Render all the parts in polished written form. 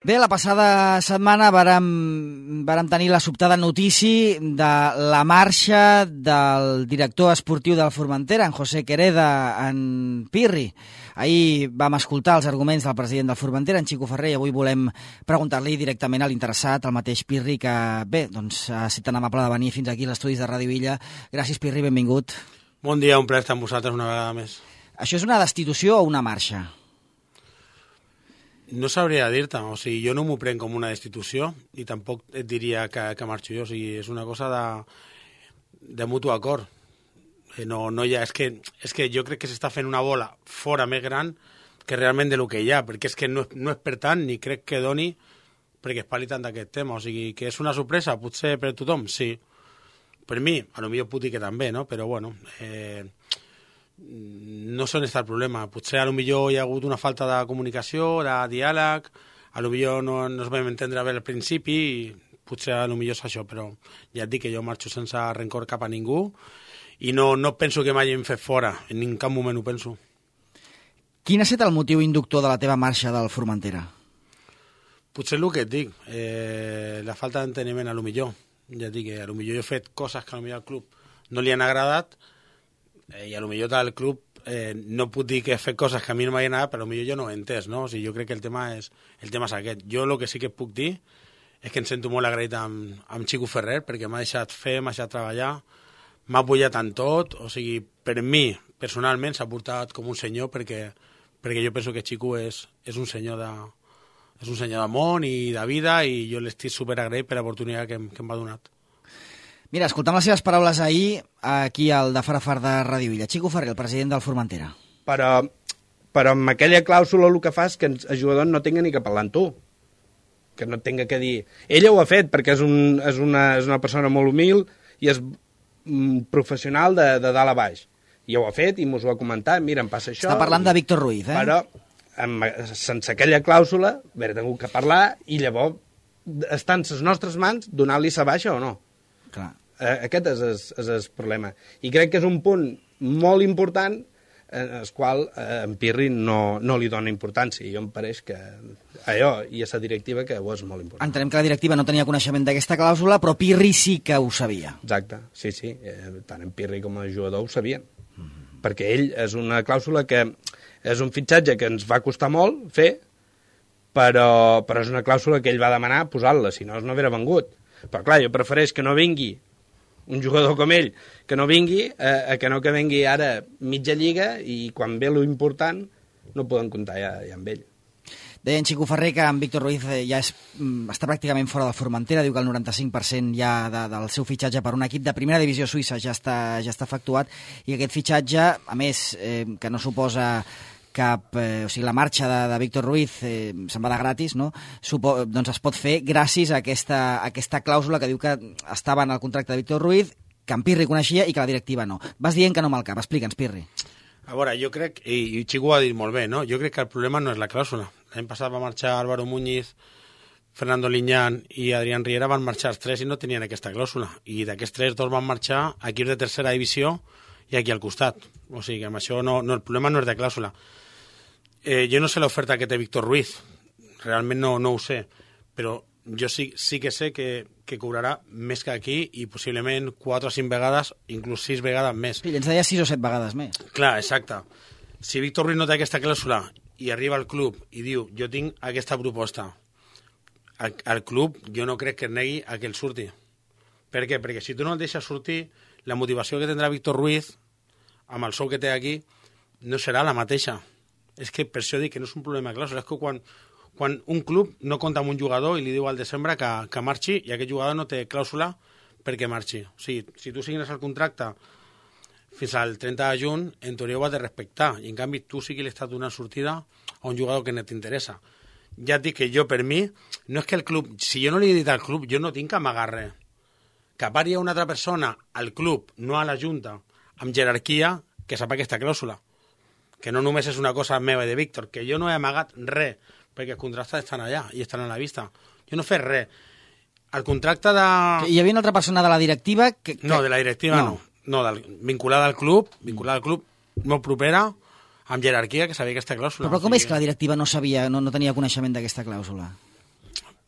Bé, la passada setmana vàrem tenir la sobtada notícia de la marxa del director esportiu del Formentera, en José Quereda, en Pirri. Ahir vam escoltar els arguments del president del Formentera, en Xico Ferrer, i avui volem preguntar-li directament a l'interessat, al mateix Pirri, que bé, doncs ha estat tan amable de venir fins aquí als estudis de Ràdio Illa. Gràcies, Pirri, benvingut. Bon dia, un plaer estar amb vosaltres una vegada més. Això és una destitució o una marxa? No sabria dir-te, o sigui, jo no m'ho prenc com una destitució i tampoc et diria que marxo jo, o sigui, és una cosa de mutu acord. No hi ha, és que jo crec que s'està fent una bola fora més gran que realment de lo que hi ha, perquè és que no és per tant ni crec que doni perquè es parli tant d'aquest tema, o sigui, que és una sorpresa, potser per tothom, sí. Per mi, potser puc dir que també, no? Però bueno, no sé on està el problema. Potser potser hi ha hagut una falta de comunicació, de diàleg, potser no ens vam entendre bé al principi, i potser potser és això, però ja et dic que jo marxo sense rencor cap a ningú i no penso que m'hagin fet fora, en cap moment ho penso. Quin ha estat el motiu inductor de la teva marxa del Formentera? Potser el que et dic, la falta d'enteniment potser. Ja et dic que potser jo he fet coses que potser al club no li han agradat, i potser del club no puc dir que he fet coses que a mi no m'hagin agradat, però potser jo no ho he entès, no? O sigui, jo crec que el tema és aquest. Jo el que sí que puc dir és que em sento molt agraït amb Xico Ferrer, perquè m'ha deixat fer, m'ha deixat treballar, m'ha apoyat en tot, o sigui, per mi, personalment, s'ha portat com un senyor, perquè jo penso que Xico és un senyor de món i de vida, i jo l'estic superagraït per l'oportunitat que em va donat. Mira, escoltam les seves paraules ahir aquí al de Farafar de Ràdio Illa. Xico Ferrer, el president del Formentera. Però amb aquella clàusula el que fa és que el jugador no tinga ni que parlar amb tu, que no tinga que dir... Ella ho ha fet perquè és una persona molt humil i és professional de dalt a baix. I ho ha fet i mos ho ha comentat. Mira, em passa això... Està parlant de Víctor Ruiz, eh? Però sense aquella clàusula hauria tingut que parlar i llavors està en les nostres mans donar-li sa baixa o no. Clar. Aquest és el problema. I crec que és un punt molt important al qual en Pirri no li dona importància. I jo em pareix que allò i a la directiva que ho és molt important. Entenem que la directiva no tenia coneixement d'aquesta clàusula, però Pirri sí que ho sabia. Exacte, sí. Tant en Pirri com el jugador ho sabien. Perquè ell és una clàusula que és un fitxatge que ens va costar molt fer, però és una clàusula que ell va demanar posar-la, si no hauria vengut. Però clar, jo prefereix que no vingui un jugador com ell, que no vingui, que no que vingui ara mitja lliga i quan ve lo important no poden comptar ja amb ell. Deia en Xico Ferrer que en Víctor Ruiz ja està pràcticament fora del Formentera, diu que el 95% ja del seu fitxatge per un equip de primera divisió suïssa ja està efectuat, i aquest fitxatge, a més, que no suposa cap... o sigui, la marxa de Víctor Ruiz se'n va de gratis, no? Doncs es pot fer gràcies a aquesta clàusula que diu que estava en el contracte de Víctor Ruiz, que en Pirri coneixia i que la directiva no. Vas dient que no amb el cap. Explica'ns, Pirri. A veure, jo crec, i Xico ho ha dit molt bé, no? Jo crec que el problema no és la clàusula. L'any passat va marxar Álvaro Muñiz, Fernando Liñán i Adrián Riera, van marxar els tres i no tenien aquesta clàusula. I d'aquests tres, dos van marxar a equips de tercera divisió i aquí al costat. O sigui que amb això el problema no és de clàusula. Jo no sé l'oferta que té Víctor Ruiz, realment no ho sé, però jo sí que sé que cobrarà més que aquí i possiblement 4 o 5 vegades, inclús 6 vegades més. Sí, ens deia 6 o 7 vegades més. Clar, exacte. Si Víctor Ruiz no té aquesta clàusula i arriba al club i diu jo tinc aquesta proposta, al club jo no crec que es negui a que el surti. Per què? Perquè si tu no el deixes sortir, la motivació que tindrà Víctor Ruiz amb el sou que té aquí no serà la mateixa. És que per això dic que no és un problema de clàusula, és que quan un club no compta amb un jugador i li diu al desembre que marxi i aquest jugador no té clàusula perquè marxi. O sigui, si tu signes el contracte fins al 30 de juny, en teoria ho has de respectar, i en canvi tu sí que li estàs donant sortida a un jugador que no t'interessa. Ja et dic que jo, per mi, no és que el club, si jo no li he dit al club, jo no tinc que amagar res. Que pari una altra persona al club, no a la Junta, amb jerarquia, que sap aquesta clàusula. Que no només és una cosa meva i de Víctor, que jo no he amagat res, perquè els contractes estan allà i estan a la vista. Jo no he fet res. El contracte de... Hi havia una altra persona de la directiva que... No, de la directiva no. Vinculada al club, molt propera, amb jerarquia, que sabia aquesta clàusula. Però com és que la directiva no sabia, no tenia coneixement d'aquesta clàusula?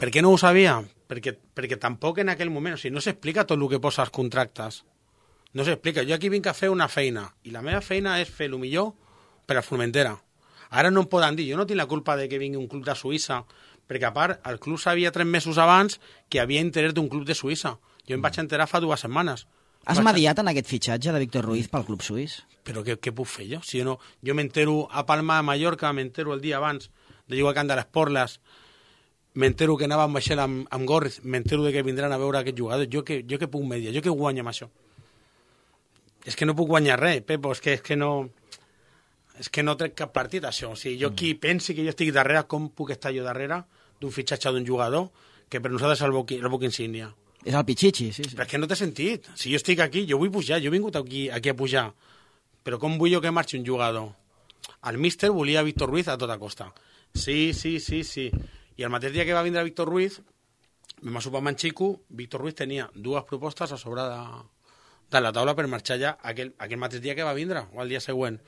Per què no ho sabia? Perquè tampoc en aquell moment, o sigui, no s'explica tot el que posa als contractes. No s'explica. Jo aquí vinc a fer una feina, i la meva feina és fer el millor per a Formentera. Ara no em poden dir, jo no tinc la culpa de que vingui un club de Suïssa, perquè a part, el club sabia 3 mesos abans que hi havia interès d'un club de Suïssa. Jo em vaig enterar fa 2 setmanes. Has mediat en aquest fitxatge de Víctor Ruiz pel club suís? Però què puc fer jo? Si jo m'entero a Palma de Mallorca, m'entero el dia abans de jugar al Camp de les Porles, m'entero que anava amb vaixell amb Gorriz, m'entero de que vindran a veure aquest jugador. Jo què puc mediar? Jo què guanyo amb això? És que no puc guanyar res, Pepo, és que no trec cap partit, això. O sigui, jo qui pensi que jo estic darrere, com puc estar jo darrere d'un fitxatge d'un jugador que per nosaltres és el buc insígnia? És el Pichichi, sí. Però és que no té sentit. Si jo estic aquí, jo vull pujar, jo he vingut aquí a pujar. Però com vull jo que marxi un jugador? El míster volia Víctor Ruiz a tota costa. Sí. I el mateix dia que va vindre Víctor Ruiz, vam sopar amb en Xico, Víctor Ruiz tenia 2 propostes a sobre de la taula per marxar ja aquell mateix dia que va vindre, o el dia següent.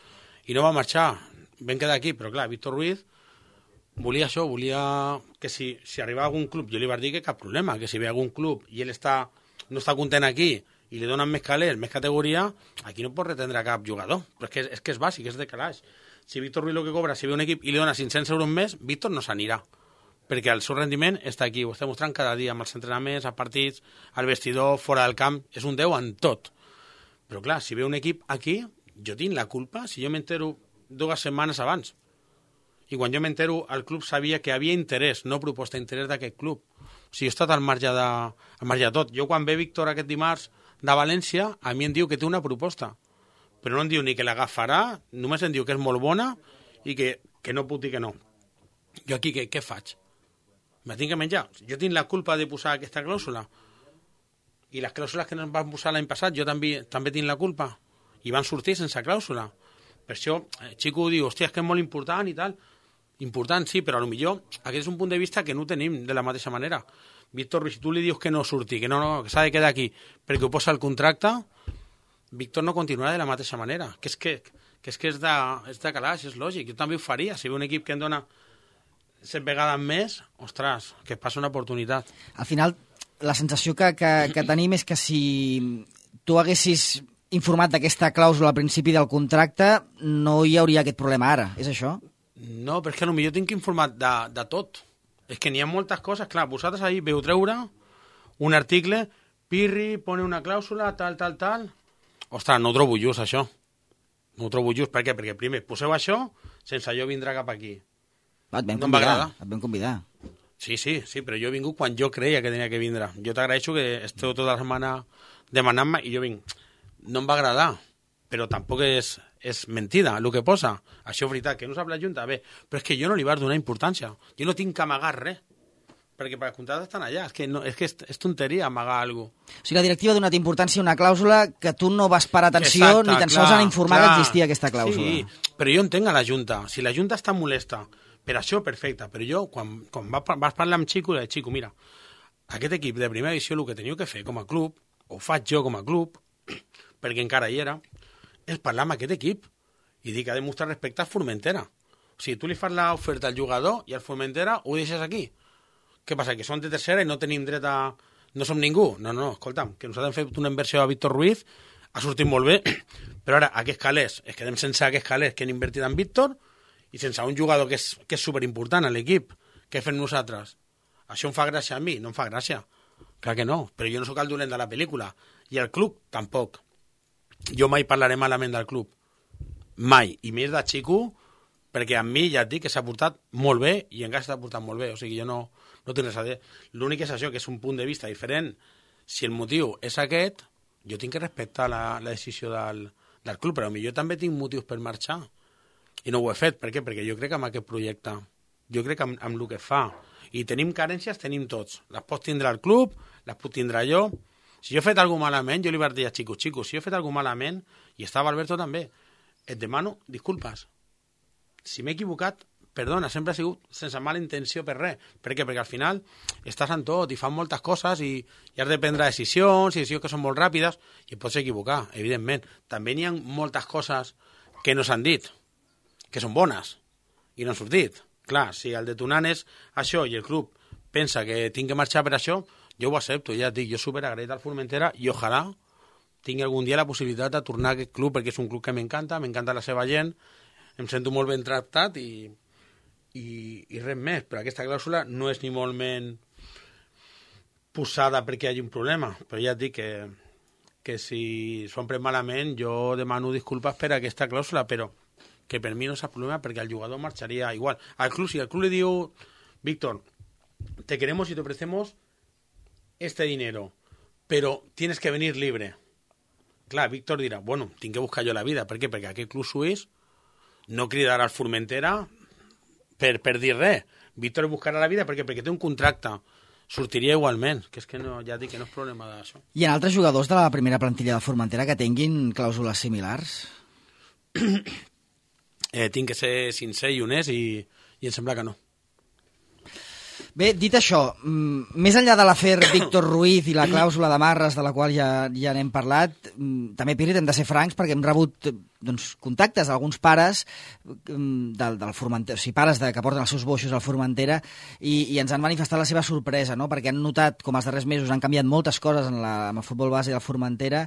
I no va marxar, vam quedar aquí, però clar, Víctor Ruiz volia això, volia que si arribava a algun club, jo li vaig dir que cap problema, que si ve a algun club i ell no està content aquí i li donen més calés, més categoria, aquí no pot retendre cap jugador. Però és que és bàsic, és de calaix. Si Víctor Ruiz el que cobra, si ve un equip i li dona 500 euros més, Víctor no s'anirà, perquè el seu rendiment està aquí, ho està mostrant cada dia, amb els entrenaments, als partits, al vestidor, fora del camp, és un 10 en tot. Però clar, si ve un equip aquí, jo tinc la culpa si jo m'entero 2 setmanes abans. I quan jo m'entero, el club sabia que havia interès, no proposta, interès d'aquest club. O sigui, he estat al marge de tot. Jo quan ve Víctor aquest dimarts de València, a mi em diu que té una proposta. Però no em diu ni que l'agafarà, només em diu que és molt bona i que no puc dir que no. Jo aquí què faig? Me tinc que menjar. Jo tinc la culpa de posar aquesta clàusula. I les clàusules que ens van posar l'any passat, jo també tinc la culpa. I van sortir sense clàusula. Per això, Xico diu, hòstia, és que és molt important i tal. Important, sí, però potser aquest és un punt de vista que no tenim de la mateixa manera. Víctor Ruiz, si tu li dius que no surti, que s'ha de quedar aquí perquè ho posa el contracte, Víctor no continuarà de la mateixa manera. Que és de calaix, és lògic. Jo també ho faria. Si ve un equip que em dona 7 vegades més, ostres, que es passa una oportunitat. Al final, la sensació que tenim és que si tu haguessis informat d'aquesta clàusula al principi del contracte, no hi hauria aquest problema ara, és això? No, però és que potser tinc informat de tot. És que n'hi ha moltes coses. Clar, vosaltres ahir veu treure un article, Pirri pone una clàusula, tal. Ostres, no ho trobo just, això. No ho trobo just. Per què? Perquè primer poseu això sense jo vindrà cap aquí. Et vam convidar. Sí, però jo he vingut quan jo creia que tenia que vindre. Jo t'agraeixo que esteu tota la setmana demanant-me i jo vinc. No em va agradar, però tampoc és mentida el que posa. Això és veritat, que no sap la Junta, bé, però és que jo no li vaig donar importància. Jo no tinc que amagar res, perquè per contractes estan allà. És que és tonteria amagar alguna cosa. O sigui, la directiva ha donat importància a una clàusula que tu no vas parar atenció. Exacte, ni tan sols han informat que existia aquesta clàusula. Sí, però jo entenc a la Junta. Si la Junta està molesta per això, perfecte, però jo, quan vas parlar amb Xico, li dic, Xico, mira, aquest equip de primera edició el que teniu que fer com a club, ho faig jo com a club, perquè encara hi era, és parlar amb aquest equip i dir que ha de mostrar respecte a Formentera. O sigui, tu li fas l'oferta al jugador i al Formentera ho deixes aquí. Què passa, que som de tercera i no tenim dret a... No som ningú? No, escolta'm, que nosaltres hem fet una inversió a Víctor Ruiz, ha sortit molt bé, però ara aquests calés, es quedem sense aquests calés que han invertit en Víctor i sense un jugador que és superimportant a l'equip. Què fem nosaltres? Això em fa gràcia a mi? No em fa gràcia. Clar que no, però jo no sóc el dolent de la pel·lícula. I el club, tampoc. Jo mai parlaré malament del club. Mai. I més de Xico, perquè amb mi ja et dic que s'ha portat molt bé i encara s'ha portat molt bé. O sigui, jo no tinc res a dir. L'únic és això, que és un punt de vista diferent. Si el motiu és aquest, jo tinc que respectar la decisió del club, però jo també tinc motius per marxar. I no ho he fet. Per què? Perquè jo crec en aquest projecte. Jo crec en el que fa. I tenim carències, tenim tots. Les pot tindre el club, les puc tindre jo. Si jo he fet alguna malament, jo li vaig dir a Xico, si jo he fet alguna malament, i estava Alberto també, et demano disculpes. Si m'he equivocat, perdona, sempre ha sigut sense mala intenció per res. Per què? Perquè al final estàs en tot i fan moltes coses i has de prendre decisions que són molt ràpides i et pots equivocar, evidentment. També n'hi ha moltes coses que no s'han dit, que són bones i no han sortit. Clar, si el detonant és això i el club pensa que tinc que marxar per això, jo ho accepto, ja et dic, jo superagraït al Formentera i ojalà tingui algun dia la possibilitat de tornar a aquest club, perquè és un club que m'encanta la seva gent, em sento molt ben tractat i res més, però aquesta clàusula no és ni molt menys posada perquè hi hagi un problema, però ja et dic que si s'ho han pres malament jo demano disculpes per aquesta clàusula, però que per mi no és el problema perquè el jugador marxaria igual. Al club, si el club le diu, Víctor, te queremos y te ofrecemos este dinero, pero tienes que venir libre. Clar, Víctor dirà, bueno, tinc que buscar jo la vida. Per què? Perquè aquest club suís no cridarà al Formentera per dir res. Víctor buscarà la vida perquè té un contracte. Sortiria igualment, que és que no, ja dic que no és problema d'això. Hi ha altres jugadors de la primera plantilla de Formentera que tinguin clàusules similars? Tinc que ser sincer i honest i em sembla que no. Bé, dit això, més enllà de l'afer Víctor Ruiz i la clàusula d'amarres, de la qual ja n'hem parlat, també, Pirri, hem de ser francs perquè hem rebut contactes d'alguns pares del Formentera, o sigui, pares que porten els seus boixos al Formentera i ens han manifestat la seva sorpresa, no? Perquè han notat com els darrers mesos han canviat moltes coses amb el futbol base del Formentera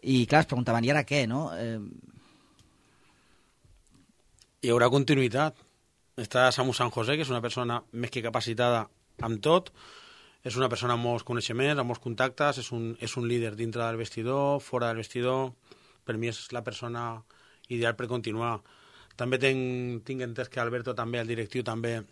i, clar, es preguntaven, i ara què, no? Hi haurà continuïtat. Està Samu San José, que és una persona més que capacitada amb tot, és una persona amb molts coneixements, amb molts contactes, és un líder dintre del vestidor, fora del vestidor, per mi és la persona ideal per continuar. També tinc entès que Alberto també, el directiu, també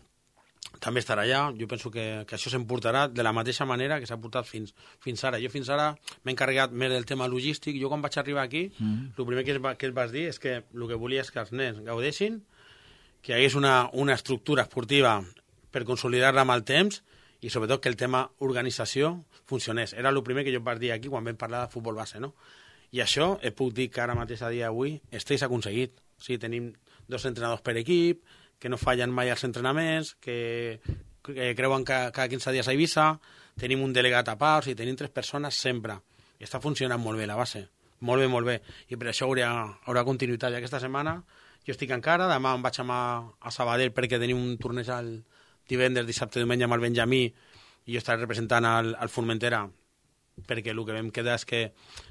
estarà allà. Jo penso que això s'emportarà de la mateixa manera que s'ha portat fins ara. Jo fins ara m'he encarregat més del tema logístic. Jo quan vaig arribar aquí, el primer que es vas dir és que el que volia és que els nens gaudessin, que hi hagués una estructura esportiva per consolidar-la amb el temps i sobretot que el tema organització funcionés. Era el primer que jo vaig dir aquí quan vam parlar de futbol base, no? I això, puc dir que ara mateix a dia d'avui s'ha aconseguit. O sigui, tenim 2 entrenadors per equip, que no fallen mai els entrenaments, que creuen que cada 15 dies a Eivissa, tenim un delegat a part, o sigui, tenim 3 persones sempre. I està funcionant molt bé la base. Molt bé, molt bé. I per això haurà continuïtat. I aquesta setmana jo estic encara, demà em vaig a Sabadell perquè tenim un torneig el divendres, dissabte, diumenge amb el Benjamí i jo estaré representant al Formentera perquè el que vam quedar és que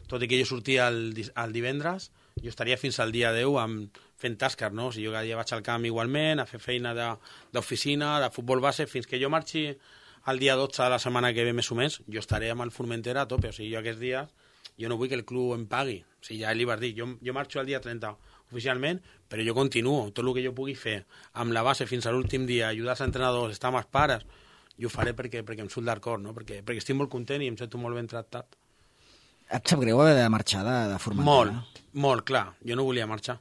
tot i que jo sortia el divendres jo estaria fins al dia 10 fent tasques, no? O sigui, jo cada dia vaig al camp igualment a fer feina d'oficina, de futbol base, fins que jo marxi el dia 12 de la setmana que ve més o menys, jo estaré amb el Formentera a tope, o sigui, jo aquests dies jo no vull que el club em pagui, o sigui, ja li vas dir, jo marxo el dia 30 oficialment, però jo continuo, tot el que jo pugui fer amb la base fins a l'últim dia, ajudar els entrenadors, estar amb els pares, jo ho faré perquè em surt del cor, no? perquè estic molt content i em sento molt ben tractat. Et sap greu haver de marxar de Formentera? Molt, clar, jo no volia marxar.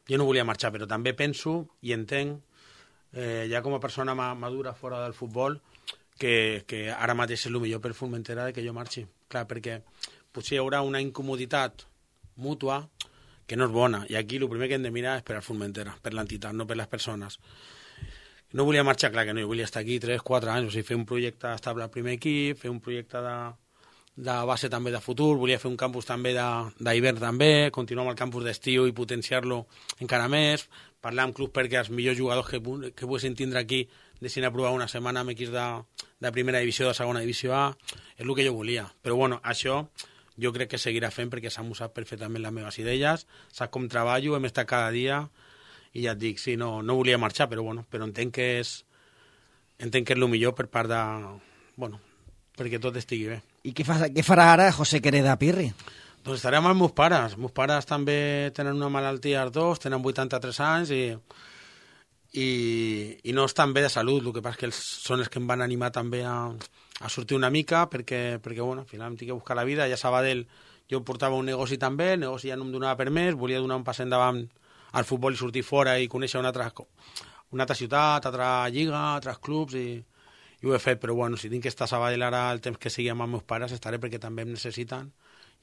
Però també penso i entenc, ja com a persona madura fora del futbol, que ara mateix és el millor per Formentera que jo marxi. Clar, perquè potser hi haurà una incomoditat mútua que no és bona, i aquí el primer que hem de mirar és per al Formentera, per l'entitat, no per les persones. No volia marxar, clar que no, jo volia estar aquí 3-4 anys, o sigui, fer un projecte estable al primer equip, fer un projecte de base també de futur, volia fer un campus també d'hivern també, continuar amb el campus d'estiu i potenciar-lo encara més, parlar amb clubs perquè els millors jugadors que poguessin tindre aquí deixin aprovar una setmana amb equips de primera divisió, de segona divisió A, és el que jo volia. Però bueno, això jo crec que seguirà fent perquè Samu sap perfectament les meves idees, sap com treballo, hem estat cada dia i ja et dic, sí, no volia marxar, però entenc que és el millor per part de... Bueno, perquè tot estigui bé. I què farà ara José Quereda Pirri? Doncs estaré amb els meus pares. Els meus pares també tenen una malaltia els dos, tenen 83 anys i no estan bé de salut. El que passa és que són els que em van animar també a sortir una mica perquè bueno, al final em tinc que buscar la vida. Ja a Sabadell jo portava un negoci també, el negoci ja no em donava per més, volia donar un pas endavant al futbol i sortir fora i conèixer una altra ciutat, altra lliga, altres clubs i ho he fet, però bueno, si tinc que estar a Sabadell ara el temps que sigui amb els meus pares estaré perquè també em necessiten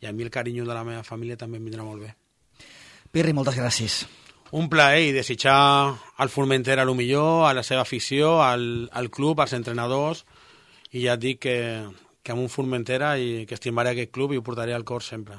i a mi el carinyo de la meva família també em vindrà molt bé. Pirri, moltes gràcies. Un plaer i desitjar al Formentera el millor, a la seva afició, al club, als entrenadors i ja et dic que amb un Formentera i que estimaré aquest club i ho portaré al cor sempre.